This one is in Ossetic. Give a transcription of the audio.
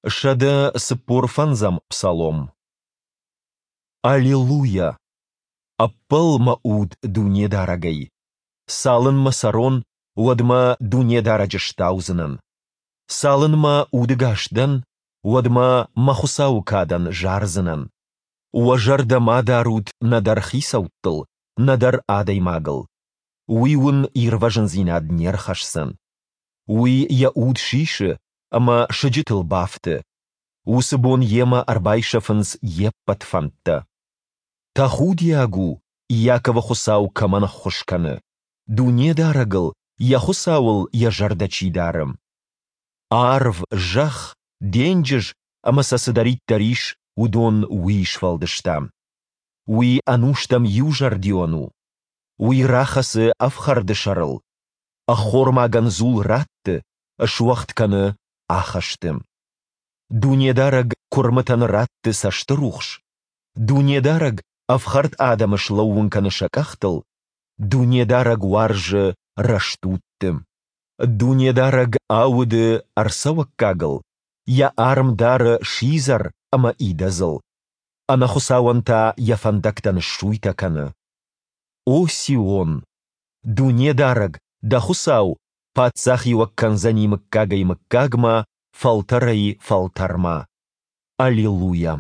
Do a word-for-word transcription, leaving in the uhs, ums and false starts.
Сӕдӕ цыппор фӕндзӕм псалом. Алелуйа! Ӕппӕл, мӕ уд, Дунедарӕгӕй! Цалынмӕ цӕрон, уӕдмӕ Дунедарӕджы стаудзынӕн. Цалынмӕ удӕгас дӕн, уӕдмӕ мӕ Хуыцауы кадӕн зардзынӕн. Уӕ зӕрдӕ ма дарут нӕдӕр хицӕуттыл, нӕдӕр адӕймагыл. Уый уын ирвӕзындзинад не рхӕсдзӕн. Уый йӕ уд сисы ӕмӕ сыджытыл бафты. Уыцы бон йемӕ ӕрбайсӕфынц йе ппӕт фӕндтӕ. Тӕхудиаг у, Иаковы Хуыцау кӕмӕн ӕххуыс кӕны, Дунедарӕгыл, йӕ Хуыцауыл йӕ зӕрдӕ чи дары. Арв, зӕхх, денджыз ӕмӕ сӕ цыдӕриддӕр ис, уыдон Уый сфӕлдыста. Уый ӕнустӕм иузӕрдион у. Уый рахӕцы ӕфхӕрды сӕрыл, ӕххормагӕн дзул ратты, суӕгъд кӕны ахӕсты. Дунедарӕг куырмытӕн ратты цӕстырухс, Дунедарӕг ӕфхӕрд адӕмы слӕууын кӕны сӕ къӕхтыл, Дунедарӕг уарзы рӕстудты. Дунедарӕг ауды ӕрцӕуӕггагыл, Йӕ арм дары сидзӕр ӕмӕ идӕдзыл, ӕнӕхуыцауӕн та йӕ фӕндӕгтӕ ныссуйтӕ кӕны. О Сион, Дунедарӕг, дӕ Хуыцау, паддзахиуӕг кӕндзӕни мыггагӕй-мыггагмӕ, фӕлтӕрӕй-фӕлтӕрмӕ. Алелуйа.